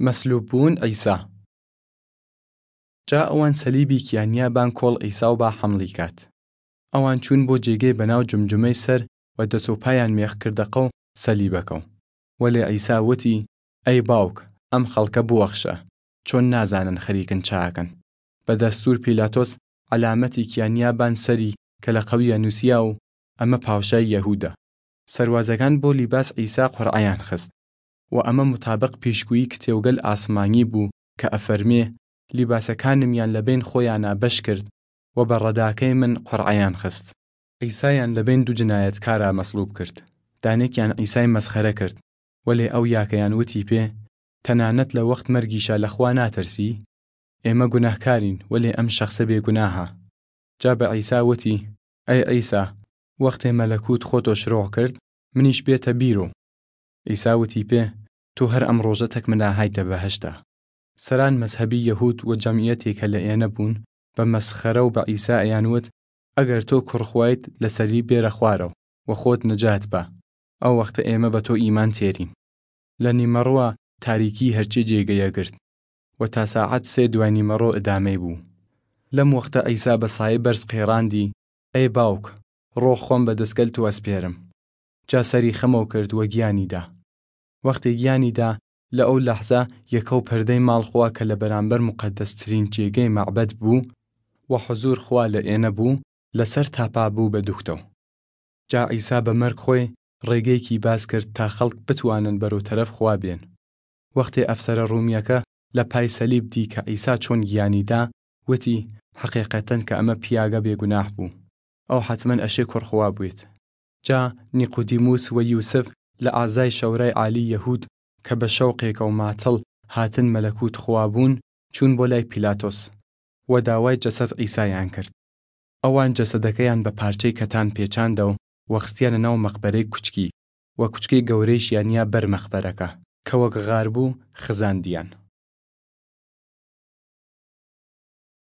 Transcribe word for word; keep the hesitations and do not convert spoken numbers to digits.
مەسلوب بوون عیسا. جا ئەوان سەلیبی کیانیا بان کۆڵ عیسا و با حەمڵی کات. ئەوان چوون بۆ جێگەی بەناو جمجمەی سەر و دەس و پایان مێخ کردەقەو سەلیبەکەو. وەلێ عیسا وتی، ئەی باوک، ئەم خەڵکە بوەخشە، چۆن نازانن خەریکن چاکەن؟ بە دەستور پیلاتۆس عەلامەتی کیانیا بان سەری کە لە قەویە نووسیا و ئەمە پاوشای یەهوودە. سەروازەکان بۆ لیباس عیسا قورعەیان خست، و ئەمە متابق پیشگویی کتێوگەل ئاسمانی بوو کە ئەفەرمێ، لیباسەکانمیان لە بەین خۆیانا بەش کرد و بە ڕەداکەی من قورعەیان خست. عیسایان لە بەین دوو جنایەتکارا مەسڵوب کرد. دانێکیان عیسای مەسخەرە کرد، وەلێ ئەو یاکەیان وتی پێ، تەنانەت لە وەخت مەرگیشا لە خوا ناترسی؟ ئێمە گوناهکارین، وەلێ ئەم شەخسە بێگوناهە. جا بە عیسا وتی، ئەی عیسا، وەختێ مەلەکوت خۆ تۆ شرۆغ کرد، منیش بێتە بیرۆ. عیسا وتی پێ، تو هەر ئەم ڕۆژە تەک منا هایتە بەهەشتا. سەران مەزهەبی یەهود و جەمعیەتێ کە لە ئێنە بوون، بە مەسخەرە و بە عیسا ئەیان وت، ئەگەر تۆ کوڕ خوایت، لە سەری بێرە خوارەو و خۆت نەجات بە، ئەو وەختە ئێمە بە تۆ ئیمان تێرین. لە نیمەڕوا تاریکی هەرچێ جێگەیە گرت و تا ساعەت سێ دوای نیمەڕۆ ئدامەی بوو. لەم وەختە عیسا بە سایەی بەرز قێڕاندی، ئەی باوک، ڕۆح خۆم بە دەسگەل تو ئەسپێرم. جا سەری خەمەو کرد و گیانی دا. وەختێ گیانی دا، لە ئەو لەحزە یەکەو پەردەی ماڵ خوا کە لە بەرامبەر مقەدەسترین جێگەی مەعبەد بوو و حزور خوا لە ئێنە بوو، لە سەر تاپا بوو بە دوختەو. جا عیسا بە مەرگ خۆی ڕێگەیکی باز کرد تا خەڵک بتوانن بەرەو تەرەف خوا بێن. وەختێ ئەفسەرە ڕومیەکە لە پای سەلیب دی کە عیسا چۆن گیانی دا، وتی، حەقیقەتەن کە ئەمە پیاگە بێگوناح بوو. ئەو حەتمەن ئەشێ کوڕ خوا بوێت. جا نیقودیموس و یوسف لە ئازای شەورای عالی یەهود کە بە شەوقێکەو ماتەڵ هاتن مەلەکوت خوا بوون، چوون بۆ لای پیلاتۆس و داوای جەسەد عیسایان کرد. ئەوان جەسەدەکەیان بە پارچەی کەتان پێچاندەو و خستیانە ناو مەقبەرەی کوچکی و کوچکەی گەورەیشیان یا بەر مەقبەرەکە کە وەک غار بوو خزاندیان.